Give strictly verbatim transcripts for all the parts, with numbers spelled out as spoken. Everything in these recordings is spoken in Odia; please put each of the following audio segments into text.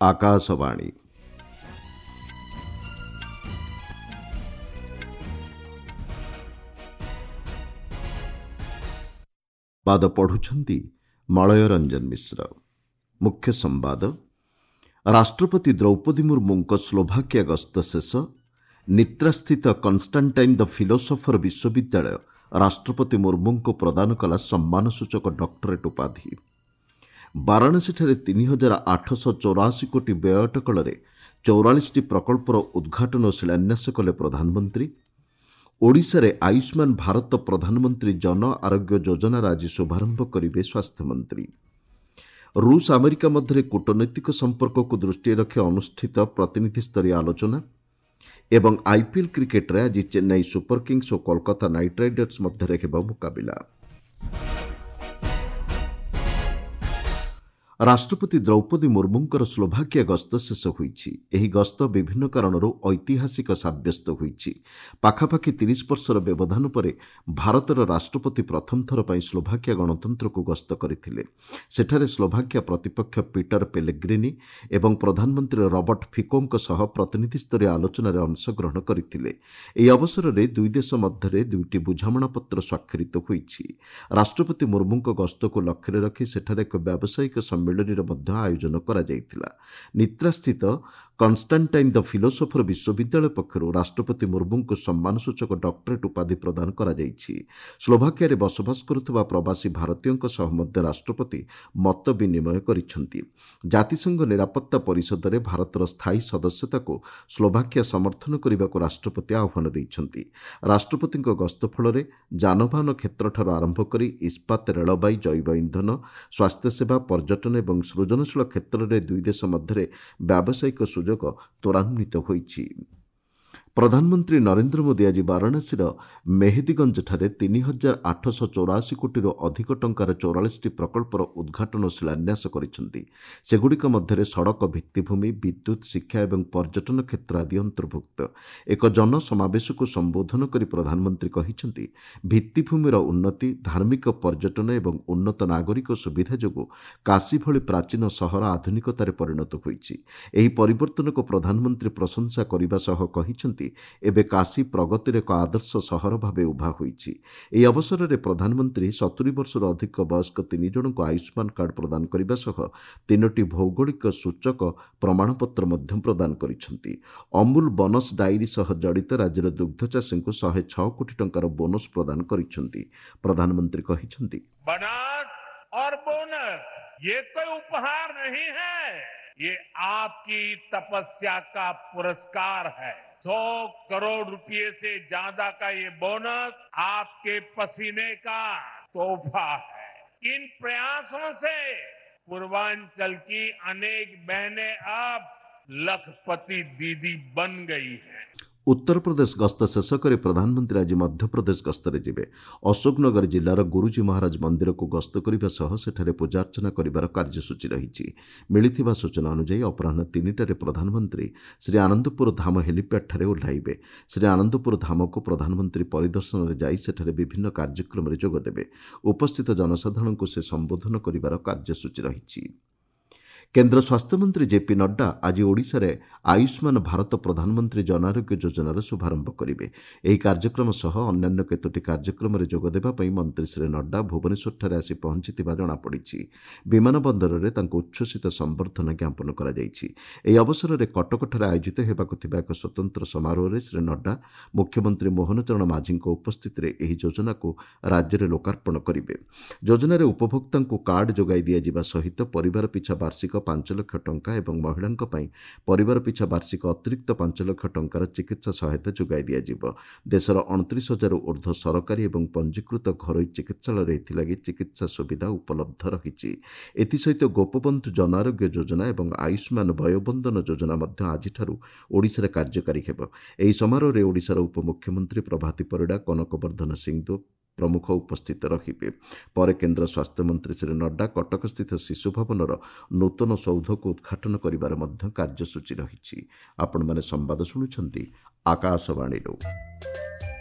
ଆକାଶବାଣୀ। ବାଦ ପଢୁଛନ୍ତି ମଳୟ ରଞ୍ଜନ ମିଶ୍ର। ମୁଖ୍ୟ ସମ୍ବାଦ। ରାଷ୍ଟ୍ରପତି ଦ୍ରୌପଦୀ ମୁର୍ମୁଙ୍କ ସ୍ଲୋଭାକିଆ ଗସ୍ତ ଶେଷ। ନିତ୍ରାସ୍ଥିତ କନଷ୍ଟାଣ୍ଟାଇନ୍ ଦ ଫିଲୋସଫର ବିଶ୍ୱବିଦ୍ୟାଳୟ ରାଷ୍ଟ୍ରପତି ମୁର୍ମୁଙ୍କୁ ପ୍ରଦାନ କଲା ସମ୍ମାନସୂଚକ ଡକ୍ଟରେଟ୍ ଉପାଧି। ବାରାଣସୀଠାରେ ତିନି ହଜାର ଆଠଶହ ଚଉରାଅଶୀ କୋଟି ବ୍ୟୟ ଅଟକଳରେ ଚଉରାଳିଶଟି ପ୍ରକଳ୍ପର ଉଦ୍ଘାଟନ ଓ ଶିଳାନ୍ୟାସ କଲେ ପ୍ରଧାନମନ୍ତ୍ରୀ। ଓଡ଼ିଶାରେ ଆୟୁଷ୍ମାନ ଭାରତ ପ୍ରଧାନମନ୍ତ୍ରୀ ଜନ ଆରୋଗ୍ୟ ଯୋଜନାର ଆଜି ଶୁଭାରମ୍ଭ କରିବେ ସ୍ୱାସ୍ଥ୍ୟମନ୍ତ୍ରୀ। ରୁଷ ଆମେରିକା ମଧ୍ୟରେ କୂଟନୈତିକ ସମ୍ପର୍କକୁ ଦୃଷ୍ଟିରେ ରଖି ଅନୁଷ୍ଠିତ ପ୍ରତିନିଧିସ୍ତରୀୟ ଆଲୋଚନା। ଏବଂ ଆଇପିଏଲ୍ କ୍ରିକେଟରେ ଆଜି ଚେନ୍ନାଇ ସୁପର କିଙ୍ଗସ୍ ଓ କୋଲକାତା ନାଇଟ୍ ରାଇଡର୍ସ ମଧ୍ୟରେ ହେବ ମୁକାବିଲା। ରାଷ୍ଟ୍ରପତି ଦ୍ରୌପଦୀ ମୁର୍ମୁଙ୍କର ସ୍ଲୋଭାକିଆ ଗସ୍ତ ଶେଷ ହୋଇଛି। ଏହି ଗସ୍ତ ବିଭିନ୍ନ କାରଣରୁ ଐତିହାସିକ ସାବ୍ୟସ୍ତ ହୋଇଛି। ପାଖାପାଖି ତିରିଶ ବର୍ଷର ବ୍ୟବଧାନ ପରେ ଭାରତର ରାଷ୍ଟ୍ରପତି ପ୍ରଥମ ଥର ପାଇଁ ସ୍ଲୋଭାକିଆ ଗଣତନ୍ତ୍ରକୁ ଗସ୍ତ କରିଥିଲେ। ସେଠାରେ ସ୍ଲୋଭାକିଆ ପ୍ରତିପକ୍ଷ ପିଟର ପେଲେଗ୍ରିନି ଏବଂ ପ୍ରଧାନମନ୍ତ୍ରୀ ରବର୍ଟ ଫିକୋଙ୍କ ସହ ପ୍ରତିନିଧିସ୍ତରୀୟ ଆଲୋଚନାରେ ଅଂଶଗ୍ରହଣ କରିଥିଲେ। ଏହି ଅବସରରେ ଦୁଇ ଦେଶ ମଧ୍ୟରେ ଦୁଇଟି ବୁଝାମଣାପତ୍ର ସ୍ୱାକ୍ଷରିତ ହୋଇଛି। ରାଷ୍ଟ୍ରପତି ମୁର୍ମୁଙ୍କ ଗସ୍ତକୁ ଲକ୍ଷ୍ୟରେ ରଖି ସେଠାରେ ଏକ ବ୍ୟାବସାୟିକ ସମ୍ମିଳନୀର ମଧ୍ୟ ଆୟୋଜନ କରାଯାଇଥିଲା। ନିତ୍ରାସ୍ଥିତ କନଷ୍ଟାଣ୍ଟାଇନ୍ ଦ ଫିଲୋସଫର ବିଶ୍ୱବିଦ୍ୟାଳୟ ପକ୍ଷରୁ ରାଷ୍ଟ୍ରପତି ମୁର୍ମୁଙ୍କୁ ସମ୍ମାନସୂଚକ ଡକ୍ଟରେଟ୍ ଉପାଧି ପ୍ରଦାନ କରାଯାଇଛି। ସ୍ଲୋଭାକିଆରେ ବସବାସ କରୁଥିବା ପ୍ରବାସୀ ଭାରତୀୟଙ୍କ ସହ ମଧ୍ୟ ରାଷ୍ଟ୍ରପତି ମତ ବିନିମୟ କରିଛନ୍ତି। ଜାତିସଂଘ ନିରାପତ୍ତା ପରିଷଦରେ ଭାରତର ସ୍ଥାୟୀ ସଦସ୍ୟତାକୁ ସ୍ଲୋଭାକିଆ ସମର୍ଥନ କରିବାକୁ ରାଷ୍ଟ୍ରପତି ଆହ୍ୱାନ ଦେଇଛନ୍ତି। ରାଷ୍ଟ୍ରପତିଙ୍କ ଗସ୍ତ ଫଳରେ ଯାନବାହନ କ୍ଷେତ୍ରଠାରୁ ଆରମ୍ଭ କରି ଇସ୍ପାତ, ରେଳବାଇ, ଜୈବ ଇନ୍ଧନ, ସ୍ୱାସ୍ଥ୍ୟସେବା, ପର୍ଯ୍ୟଟନ ଏବଂ ସୃଜନଶୀଳ କ୍ଷେତ୍ରରେ ଦୁଇ ଦେଶ ମଧ୍ୟରେ ବ୍ୟାବସାୟିକ ସୁଯୋଗ ତ୍ୱରାନ୍ୱିତ ହୋଇଛି। ପ୍ରଧାନମନ୍ତ୍ରୀ ନରେନ୍ଦ୍ର ମୋଦି ଆଜି ବାରାଣସୀର ମେହେଦୀଗଞ୍ଜଠାରେ ତିନି ହଜାର ଆଠଶହ ଚଉରାଅଶୀ କୋଟିରୁ ଅଧିକ ଟଙ୍କାର ଚଉରାଳିଶଟି ପ୍ରକଳ୍ପର ଉଦ୍ଘାଟନ ଓ ଶିଳାନ୍ୟାସ କରିଛନ୍ତି। ସେଗୁଡ଼ିକ ମଧ୍ୟରେ ସଡ଼କ ଭିତ୍ତିଭୂମି, ବିଦ୍ୟୁତ୍, ଶିକ୍ଷା ଏବଂ ପର୍ଯ୍ୟଟନ କ୍ଷେତ୍ର ଆଦି ଅନ୍ତର୍ଭୁକ୍ତ। ଏକ ଜନସମାବେଶକୁ ସମ୍ବୋଧନ କରି ପ୍ରଧାନମନ୍ତ୍ରୀ କହିଛନ୍ତି, ଭିତ୍ତିଭୂମିର ଉନ୍ନତି, ଧାର୍ମିକ ପର୍ଯ୍ୟଟନ ଏବଂ ଉନ୍ନତ ନାଗରିକ ସୁବିଧା ଯୋଗୁଁ କାଶୀ ଭଳି ପ୍ରାଚୀନ ସହର ଆଧୁନିକତାରେ ପରିଣତ ହୋଇଛି। ଏହି ପରିବର୍ତ୍ତନକୁ ପ୍ରଧାନମନ୍ତ୍ରୀ ପ୍ରଶଂସା କରିବା ସହ କହିଛନ୍ତି, ଏବେ କାଶୀ ପ୍ରଗତିର ଏକ ଆଦର୍ଶ ସହର ଭାବେ ଉଭା ହୋଇଛି। ଏହି ଅବସରରେ ପ୍ରଧାନମନ୍ତ୍ରୀ ସତୁରି ବର୍ଷରୁ ଅଧିକ ବୟସ୍କ ତିନି ଜଣଙ୍କୁ ଆୟୁଷ୍ମାନ କାର୍ଡ ପ୍ରଦାନ କରିବା ସହ ତିନୋଟି ଭୌଗୋଳିକ ସୂଚକ ପ୍ରମାଣପତ୍ର ମଧ୍ୟ ପ୍ରଦାନ କରିଛନ୍ତି। ଅମୁଲ ବୋନସ୍ ଡାଏରୀ ସହ ଜଡ଼ିତ ରାଜ୍ୟର ଦୁଗ୍ଧ ଚାଷୀଙ୍କୁ ଶହେ ଛଅ କୋଟି ଟଙ୍କାର ବୋନସ୍ ପ୍ରଦାନ କରିଛନ୍ତି। ପ୍ରଧାନମନ୍ତ୍ରୀ କହିଛନ୍ତି, बोनस और बोनस ये कोई उपहार नहीं है, ये आपकी तपस्या का पुरस्कार है। सौ करोड़ रुपए से ज्यादा का ये बोनस आपके पसीने का तोहफा है। इन प्रयासों से पूर्वांचल की अनेक बहनें अब लखपति दीदी बन गई हैं। ଉତ୍ତରପ୍ରଦେଶ ଗସ୍ତ ଶେଷ କରି ପ୍ରଧାନମନ୍ତ୍ରୀ ଆଜି ମଧ୍ୟପ୍ରଦେଶ ଗସ୍ତରେ ଯିବେ। ଅଶୋକନଗର ଜିଲ୍ଲାର ଗୁରୁଜୀ ମହାରାଜ ମନ୍ଦିରକୁ ଗସ୍ତ କରିବା ସହ ସେଠାରେ ପୂଜାର୍ଚ୍ଚନା କରିବାର କାର୍ଯ୍ୟସୂଚୀ ରହିଛି। ମିଳିଥିବା ସୂଚନା ଅନୁଯାୟୀ ଅପରାହ୍ନ ତିନିଟାରେ ପ୍ରଧାନମନ୍ତ୍ରୀ ଶ୍ରୀ ଆନନ୍ଦପୁର ଧାମ ହେଲିପ୍ୟାଡ୍ଠାରେ ଓହ୍ଲାଇବେ। ଶ୍ରୀ ଆନନ୍ଦପୁର ଧାମକୁ ପ୍ରଧାନମନ୍ତ୍ରୀ ପରିଦର୍ଶନରେ ଯାଇ ସେଠାରେ ବିଭିନ୍ନ କାର୍ଯ୍ୟକ୍ରମରେ ଯୋଗଦେବେ। ଉପସ୍ଥିତ ଜନସାଧାରଣଙ୍କୁ ସେ ସମ୍ବୋଧନ କରିବାର କାର୍ଯ୍ୟସୂଚୀ ରହିଛି। କେନ୍ଦ୍ର ସ୍ୱାସ୍ଥ୍ୟମନ୍ତ୍ରୀ ଜେପି ନଡ୍ଡା ଆଜି ଓଡ଼ିଶାରେ ଆୟୁଷ୍ମାନ ଭାରତ ପ୍ରଧାନମନ୍ତ୍ରୀ ଜନ ଆରୋଗ୍ୟ ଯୋଜନାର ଶୁଭାରମ୍ଭ କରିବେ। ଏହି କାର୍ଯ୍ୟକ୍ରମ ସହ ଅନ୍ୟାନ୍ୟ କେତୋଟି କାର୍ଯ୍ୟକ୍ରମରେ ଯୋଗଦେବା ପାଇଁ ମନ୍ତ୍ରୀ ଶ୍ରୀ ନଡ୍ଡା ଭୁବନେଶ୍ୱରଠାରେ ଆସି ପହଞ୍ଚିଥିବା ଜଣାପଡ଼ିଛି। ବିମାନ ବନ୍ଦରରେ ତାଙ୍କୁ ଉଚ୍ଛ୍ୱସିତ ସମ୍ବର୍ଦ୍ଧନା ଜ୍ଞାପନ କରାଯାଇଛି। ଏହି ଅବସରରେ କଟକଠାରେ ଆୟୋଜିତ ହେବାକୁ ଥିବା ଏକ ସ୍ୱତନ୍ତ୍ର ସମାରୋହରେ ଶ୍ରୀ ନଡ୍ଡା ମୁଖ୍ୟମନ୍ତ୍ରୀ ମୋହନ ଚରଣ ମାଝୀଙ୍କ ଉପସ୍ଥିତିରେ ଏହି ଯୋଜନାକୁ ରାଜ୍ୟରେ ଲୋକାର୍ପଣ କରିବେ। ଯୋଜନାରେ ଉପଭୋକ୍ତାଙ୍କୁ କାର୍ଡ ଯୋଗାଇ ଦିଆଯିବା ସହିତ ପରିବାର ପିଛା ବାର୍ଷିକ ପାଞ୍ଚ ଲକ୍ଷ ଟଙ୍କା ଏବଂ ମହିଳାଙ୍କ ପାଇଁ ପରିବାର ପିଛା ବାର୍ଷିକ ଅତିରିକ୍ତ ପାଞ୍ଚ ଲକ୍ଷ ଟଙ୍କାର ଚିକିତ୍ସା ସହାୟତା ଯୋଗାଇ ଦିଆଯିବ। ଦେଶର ଅଣତିରିଶ ହଜାରରୁ ଉର୍ଦ୍ଧ୍ୱ ସରକାରୀ ଏବଂ ପଞ୍ଜୀକୃତ ଘରୋଇ ଚିକିତ୍ସାଳୟରେ ଏଥିଲାଗି ଚିକିତ୍ସା ସୁବିଧା ଉପଲବ୍ଧ ରହିଛି। ଏଥିସହିତ ଗୋପବନ୍ଧୁ ଜନ ଆରୋଗ୍ୟ ଯୋଜନା ଏବଂ ଆୟୁଷ୍ମାନ ବୟୋବନ୍ଦନ ଯୋଜନା ମଧ୍ୟ ଆଜିଠାରୁ ଓଡ଼ିଶାରେ କାର୍ଯ୍ୟକାରୀ ହେବ। ଏହି ସମାରୋହରେ ଓଡ଼ିଶାର ଉପମୁଖ୍ୟମନ୍ତ୍ରୀ ପ୍ରଭାତୀ ପରିଡ଼ା, କନକବର୍ଦ୍ଧନ ସିଂଦେଓ ପ୍ରମୁଖ ଉପସ୍ଥିତ ରହିବେ। ପରେ କେନ୍ଦ୍ର ସ୍ୱାସ୍ଥ୍ୟମନ୍ତ୍ରୀ ଶ୍ରୀ ନଡ୍ଡା କଟକସ୍ଥିତ ଶିଶୁ ଭବନର ନୂତନ ସୌଧକୁ ଉଦ୍ଘାଟନ କରିବାର ମଧ୍ୟ କାର୍ଯ୍ୟସୂଚୀ ରହିଛି। ଆପଣମାନେ ସମ୍ବାଦ ଶୁଣୁଛନ୍ତି ଆକାଶବାଣୀରୁ।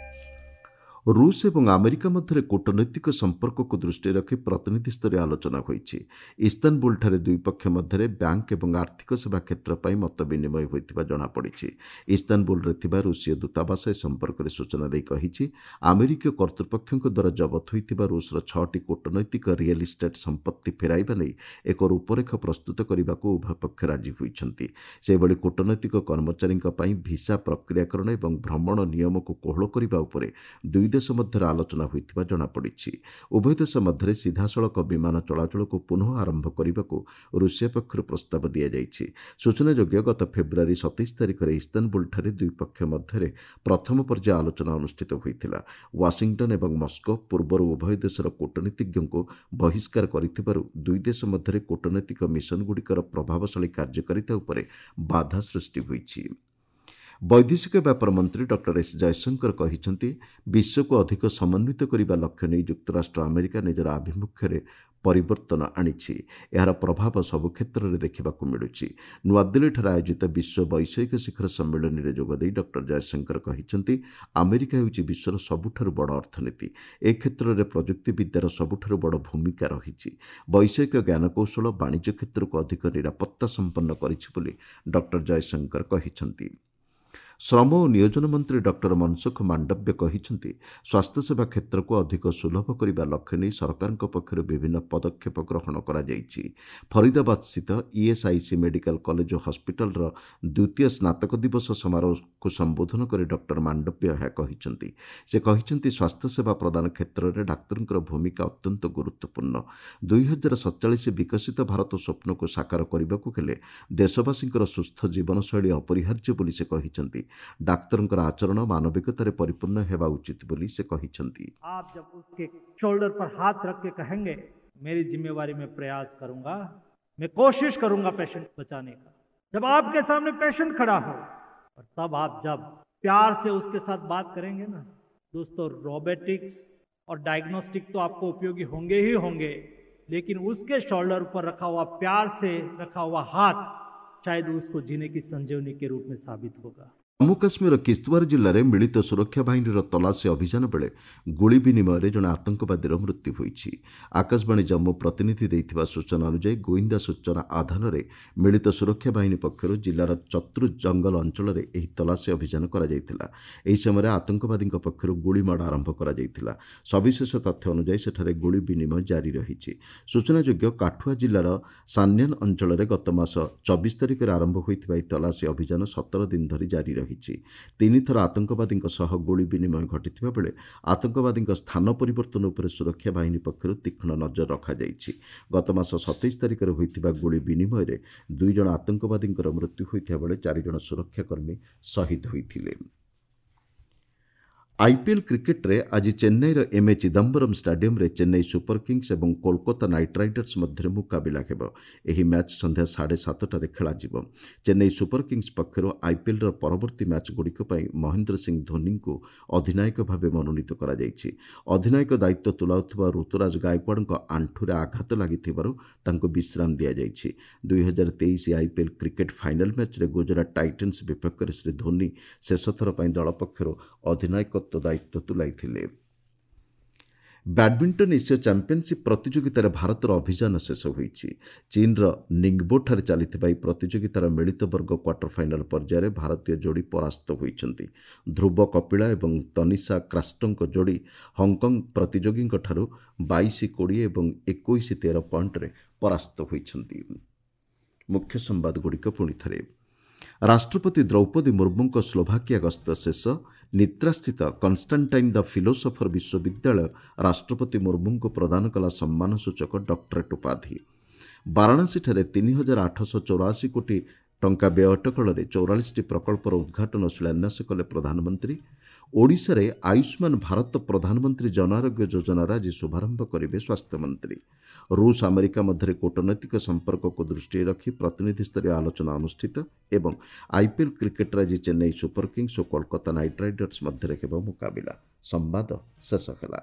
ରୁଷ ଏବଂ ଆମେରିକା ମଧ୍ୟରେ କୂଟନୈତିକ ସମ୍ପର୍କକୁ ଦୃଷ୍ଟିରେ ରଖି ପ୍ରତିନିଧିସ୍ତରୀୟ ଆଲୋଚନା ହୋଇଛି। ଇସ୍ତାନବୁଲଠାରେ ଦୁଇ ପକ୍ଷ ମଧ୍ୟରେ ବ୍ୟାଙ୍କ ଏବଂ ଆର୍ଥିକ ସେବା କ୍ଷେତ୍ର ପାଇଁ ମତ ବିନିମୟ ହୋଇଥିବା ଜଣାପଡ଼ିଛି। ଇସ୍ତାନବୁଲରେ ଥିବା ରୁଷୀୟ ଦୂତାବାସ ଏ ସମ୍ପର୍କରେ ସୂଚନା ଦେଇ କହିଛି, ଆମେରିକୀୟ କର୍ତ୍ତୃପକ୍ଷଙ୍କ ଦ୍ୱାରା ଜବତ ହୋଇଥିବା ରୁଷର ଛଅଟି କୂଟନୈତିକ ରିଏଲ୍ ଇଷ୍ଟେଟ୍ ସମ୍ପତ୍ତି ଫେରାଇବା ନେଇ ଏକ ରୂପରେଖ ପ୍ରସ୍ତୁତ କରିବାକୁ ଉଭୟ ପକ୍ଷ ରାଜି ହୋଇଛନ୍ତି। ସେହିଭଳି କୂଟନୈତିକ କର୍ମଚାରୀଙ୍କ ପାଇଁ ଭିସା ପ୍ରକ୍ରିୟାକରଣ ଏବଂ ଭ୍ରମଣ ନିୟମକୁ କୋହଳ କରିବା ଉପରେ ଦୁଇ ଦେଶ ମଧ୍ୟରେ ଆଲୋଚନା ହୋଇଥିବା ଜଣାପଡ଼ିଛି। ଉଭୟ ଦେଶ ମଧ୍ୟରେ ସିଧାସଳଖ ବିମାନ ଚଳାଚଳକୁ ପୁନଃ ଆରମ୍ଭ କରିବାକୁ ରୁଷିଆ ପକ୍ଷରୁ ପ୍ରସ୍ତାବ ଦିଆଯାଇଛି। ସୂଚନାଯୋଗ୍ୟ, ଗତ ଫେବୃଆରୀ ସତେଇଶ ତାରିଖରେ ଇସ୍ତାନବୁଲଠାରେ ଦୁଇ ପକ୍ଷ ମଧ୍ୟରେ ପ୍ରଥମ ପର୍ଯ୍ୟାୟ ଆଲୋଚନା ଅନୁଷ୍ଠିତ ହୋଇଥିଲା। ୱାଶିଂଟନ୍ ଏବଂ ମସ୍କୋ ପୂର୍ବରୁ ଉଭୟ ଦେଶର କୂଟନୀତିଜ୍ଞଙ୍କୁ ବହିଷ୍କାର କରିଥିବାରୁ ଦୁଇ ଦେଶ ମଧ୍ୟରେ କୂଟନୈତିକ ମିଶନଗୁଡ଼ିକର ପ୍ରଭାବଶାଳୀ କାର୍ଯ୍ୟକାରିତା ଉପରେ ବାଧା ସୃଷ୍ଟି ହୋଇଛି। ବୈଦେଶିକ ବ୍ୟାପାର ମନ୍ତ୍ରୀ ଡକ୍ଟର ଏସ୍ ଜୟଶଙ୍କର କହିଛନ୍ତି, ବିଶ୍ୱକୁ ଅଧିକ ସମନ୍ୱିତ କରିବା ଲକ୍ଷ୍ୟ ନେଇ ଯୁକ୍ତରାଷ୍ଟ୍ର ଆମେରିକା ନିଜର ଆଭିମୁଖ୍ୟରେ ପରିବର୍ତ୍ତନ ଆଣିଛି। ଏହାର ପ୍ରଭାବ ସବୁ କ୍ଷେତ୍ରରେ ଦେଖିବାକୁ ମିଳୁଛି। ନୂଆଦିଲ୍ଲୀଠାରେ ଆୟୋଜିତ ବିଶ୍ୱ ବୈଷୟିକ ଶିଖର ସମ୍ମିଳନୀରେ ଯୋଗଦେଇ ଡକ୍ଟର ଜୟଶଙ୍କର କହିଛନ୍ତି, ଆମେରିକା ହେଉଛି ବିଶ୍ୱର ସବୁଠାରୁ ବଡ଼ ଅର୍ଥନୀତି। ଏ କ୍ଷେତ୍ରରେ ପ୍ରଯୁକ୍ତିବିଦ୍ୟାର ସବୁଠାରୁ ବଡ଼ ଭୂମିକା ରହିଛି। ବୈଷୟିକ ଜ୍ଞାନକୌଶଳ ବାଣିଜ୍ୟ କ୍ଷେତ୍ରକୁ ଅଧିକ ନିରାପତ୍ତା ସମ୍ପନ୍ନ କରିଛି ବୋଲି ଡକ୍ଟର ଜୟଶଙ୍କର କହିଛନ୍ତି। ଶ୍ରମ ଓ ନିୟୋଜନ ମନ୍ତ୍ରୀ ଡକ୍ଟର ମନସୁଖ ମାଣ୍ଡବ୍ୟ କହିଛନ୍ତି, ସ୍ୱାସ୍ଥ୍ୟସେବା କ୍ଷେତ୍ରକୁ ଅଧିକ ସୁଲଭ କରିବା ଲକ୍ଷ୍ୟ ନେଇ ସରକାରଙ୍କ ପକ୍ଷରୁ ବିଭିନ୍ନ ପଦକ୍ଷେପ ଗ୍ରହଣ କରାଯାଇଛି। ଫରିଦାବାଦସ୍ଥିତ ଇଏସ୍ଆଇସି ମେଡିକାଲ କଲେଜ ଓ ହସ୍ପିଟାଲର ଦ୍ୱିତୀୟ ସ୍ନାତକ ଦିବସ ସମାରୋହକୁ ସମ୍ବୋଧନ କରି ଡକ୍ଟର ମାଣ୍ଡବ୍ୟ ଏହା କହିଛନ୍ତି। ସେ କହିଛନ୍ତି, ସ୍ୱାସ୍ଥ୍ୟସେବା ପ୍ରଦାନ କ୍ଷେତ୍ରରେ ଡାକ୍ତରଙ୍କର ଭୂମିକା ଅତ୍ୟନ୍ତ ଗୁରୁତ୍ୱପୂର୍ଣ୍ଣ। ଦୁଇ ହଜାର ସତଚାଳିଶ ବିକଶିତ ଭାରତ ସ୍ୱପ୍ନକୁ ସାକାର କରିବାକୁ ହେଲେ ଦେଶବାସୀଙ୍କର ସୁସ୍ଥ ଜୀବନଶୈଳୀ ଅପରିହାର୍ଯ୍ୟ ବୋଲି ସେ କହିଛନ୍ତି। ଡାକ୍ତରଙ୍କର ଆଚରଣ ମାନବିକତାରେ ପରିପୂର୍ଣ୍ଣ ହେବା ଉଚିତ ବୋଲି ସେ କହିଛନ୍ତି। आप जब उसके शोल्डर पर हाथ रख के कहेंगे, मेरी जिम्मेवारी में प्रयास करूंगा, मैं कोशिश करूंगा पेशेंट बचाने का, जब आपके सामने पेशेंट खड़ा हो और तब आप जब प्यार से उसके साथ बात करेंगे ना दोस्तों, रोबोटिक्स और डायग्नोस्टिक तो आपको उपयोगी होंगे ही होंगे, लेकिन उसके शोल्डर पर रखा हुआ प्यार से रखा हुआ हाथ शायद उसको जीने की संजीवनी के रूप में साबित होगा। ଜମ୍ମୁ କାଶ୍ମୀରର କିସ୍ତୱାର ଜିଲ୍ଲାରେ ମିଳିତ ସୁରକ୍ଷା ବାହିନୀର ତଲାସୀ ଅଭିଯାନ ବେଳେ ଗୁଳି ବିନିମୟରେ ଜଣେ ଆତଙ୍କବାଦୀର ମୃତ୍ୟୁ ହୋଇଛି। ଆକାଶବାଣୀ ଜମ୍ମୁ ପ୍ରତିନିଧି ଦେଇଥିବା ସୂଚନା ଅନୁଯାୟୀ, ଗୋଇନ୍ଦା ସୂଚନା ଆଧାରରେ ମିଳିତ ସୁରକ୍ଷା ବାହିନୀ ପକ୍ଷରୁ ଜିଲ୍ଲାର ଚତ୍ରୁ ଜଙ୍ଗଲ ଅଞ୍ଚଳରେ ଏହି ତଲାସୀ ଅଭିଯାନ କରାଯାଇଥିଲା। ଏହି ସମୟରେ ଆତଙ୍କବାଦୀଙ୍କ ପକ୍ଷରୁ ଗୁଳିମାଡ଼ ଆରମ୍ଭ କରାଯାଇଥିଲା। ସବିଶେଷ ତଥ୍ୟ ଅନୁଯାୟୀ ସେଠାରେ ଗୁଳି ବିନିମୟ ଜାରି ରହିଛି। ସୂଚନାଯୋଗ୍ୟ, କାଠୁଆ ଜିଲ୍ଲାର ସାନ୍ୟାନ ଅଞ୍ଚଳରେ ଗତ ମାସ ଚବିଶ ତାରିଖରେ ଆରମ୍ଭ ହୋଇଥିବା ଏହି ତଲାସୀ ଅଭିଯାନ ସତର ଦିନ ଧରି ଜାରି ରହିଛି। ତିନିଥର ଆତଙ୍କବାଦୀଙ୍କ ସହ ଗୁଳି ବିନିମୟ ଘଟିଥିବା ବେଳେ ଆତଙ୍କବାଦୀଙ୍କ ସ୍ଥାନ ପରିବର୍ତ୍ତନ ଉପରେ ସୁରକ୍ଷା ବାହିନୀ ପକ୍ଷରୁ ତୀକ୍ଷ୍ଣ ନଜର ରଖାଯାଇଛି। ଗତ ମାସ ସତେଇଶ ତାରିଖରେ ହୋଇଥିବା ଗୁଳି ବିନିମୟରେ ଦୁଇ ଜଣ ଆତଙ୍କବାଦୀଙ୍କର ମୃତ୍ୟୁ ହୋଇଥିବା ବେଳେ ଚାରିଜଣ ସୁରକ୍ଷାକର୍ମୀ ଶହୀଦ ହୋଇଥିଲେ। ଆଇପିଏଲ୍ କ୍ରିକେଟ୍ରେ ଆଜି ଚେନ୍ନାଇର ଏମ୍ ଏ ଚିଦମ୍ବରମ୍ ଷ୍ଟାଡିୟମ୍ରେ ଚେନ୍ନାଇ ସୁପର କିଙ୍ଗସ୍ ଏବଂ କୋଲକାତା ନାଇଟ୍ ରାଇଡର୍ସ ମଧ୍ୟରେ ମୁକାବିଲା ହେବ। ଏହି ମ୍ୟାଚ୍ ସନ୍ଧ୍ୟା ସାଢ଼େ ସାତଟାରେ ଖେଳାଯିବ। ଚେନ୍ନାଇ ସୁପର କିଙ୍ଗସ୍ ପକ୍ଷରୁ ଆଇପିଏଲ୍ର ପରବର୍ତ୍ତୀ ମ୍ୟାଚ୍ଗୁଡ଼ିକ ପାଇଁ ମହେନ୍ଦ୍ର ସିଂ ଧୋନିଙ୍କୁ ଅଧିନାୟକ ଭାବେ ମନୋନୀତ କରାଯାଇଛି। ଅଧିନାୟକ ଦାୟିତ୍ୱ ତୁଲାଉଥିବା ଋତୁରାଜ ଗାୟକୱାଡ଼ଙ୍କ ଆଣ୍ଠୁରେ ଆଘାତ ଲାଗିଥିବାରୁ ତାଙ୍କୁ ବିଶ୍ରାମ ଦିଆଯାଇଛି। ଦୁଇ ହଜାର ତେଇଶ ଆଇପିଏଲ୍ କ୍ରିକେଟ୍ ଫାଇନାଲ୍ ମ୍ୟାଚ୍ରେ ଗୁଜରାଟ ଟାଇଟନ୍ସ ବିପକ୍ଷରେ ଶ୍ରୀ ଧୋନି ଶେଷଥର ପାଇଁ ଦଳ ପକ୍ଷରୁ ଅଧିନାୟକତ୍ୱ ଦାୟିତ୍ୱ ତୁଲାଇଥିଲେ। ବ୍ୟାଡମିଣ୍ଟନ ଏସୀୟ ଚାମ୍ପିୟନସିପ୍ ପ୍ରତିଯୋଗିତାରେ ଭାରତର ଅଭିଯାନ ଶେଷ ହୋଇଛି। ଚୀନ୍ର ନିଙ୍ଗବୋଠାରେ ଚାଲିଥିବା ଏହି ପ୍ରତିଯୋଗିତାର ମିଳିତ ବର୍ଗ କ୍ୱାର୍ଟର ଫାଇନାଲ ପର୍ଯ୍ୟାୟରେ ଭାରତୀୟ ଯୋଡ଼ି ପରାସ୍ତ ହୋଇଛନ୍ତି। ଧ୍ରୁବ କପିଳା ଏବଂ ତନିଷା କ୍ରାଷ୍ଟୋଙ୍କ ଯୋଡ଼ି ହଂକଂ ପ୍ରତିଯୋଗୀଙ୍କଠାରୁ ବାଇଶ କୋଡ଼ିଏ ଏବଂ ଏକୋଇଶ ତେର ପଏଣ୍ଟରେ ପରାସ୍ତ ହୋଇଛନ୍ତି। ମୁଖ୍ୟ ସମ୍ବାଦଗୁଡ଼ିକ ପୁଣି ଥରେ। ରାଷ୍ଟ୍ରପତି ଦ୍ରୌପଦୀ ମୁର୍ମୁଙ୍କ ସ୍ଲୋଭାକିଆ ଗସ୍ତ ଶେଷ। ନିତ୍ରାସ୍ଥିତ କନଷ୍ଟାଣ୍ଟାଇନ୍ ଦ ଫିଲୋସଫର ବିଶ୍ୱବିଦ୍ୟାଳୟ ରାଷ୍ଟ୍ରପତି ମୁର୍ମୁଙ୍କୁ ପ୍ରଦାନ କଲା ସମ୍ମାନସୂଚକ ଡକ୍ଟରେଟ୍ ଉପାଧି। ବାରାଣାସୀଠାରେ ତିନି ହଜାର ଆଠଶହ ଚଉରାଅଶୀ କୋଟି ଟଙ୍କା ବ୍ୟୟ ଅଟକଳରେ ଚଉରାଳିଶଟି ପ୍ରକଳ୍ପର ଉଦ୍ଘାଟନ ଓ ଶିଳାନ୍ୟାସ କଲେ ପ୍ରଧାନମନ୍ତ୍ରୀ। ଓଡ଼ିଶାରେ ଆୟୁଷ୍ମାନ ଭାରତ ପ୍ରଧାନମନ୍ତ୍ରୀ ଜନ ଆରୋଗ୍ୟ ଯୋଜନାର ଆଜି ଶୁଭାରମ୍ଭ କରିବେ ସ୍ୱାସ୍ଥ୍ୟମନ୍ତ୍ରୀ। ରୁଷ ଆମେରିକା ମଧ୍ୟରେ କୂଟନୈତିକ ସମ୍ପର୍କକୁ ଦୃଷ୍ଟିରେ ରଖି ପ୍ରତିନିଧିସ୍ତରୀୟ ଆଲୋଚନା ଅନୁଷ୍ଠିତ ଏବଂ ଆଇପିଏଲ୍ କ୍ରିକେଟ୍ରେ ଆଜି ଚେନ୍ନାଇ ସୁପର କିଙ୍ଗସ୍ ଓ କୋଲକାତା ନାଇଟ୍ ରାଇଡର୍ସ ମଧ୍ୟରେ ହେବ ମୁକାବିଲା। ସମ୍ବାଦ ଶେଷ ହେଲା।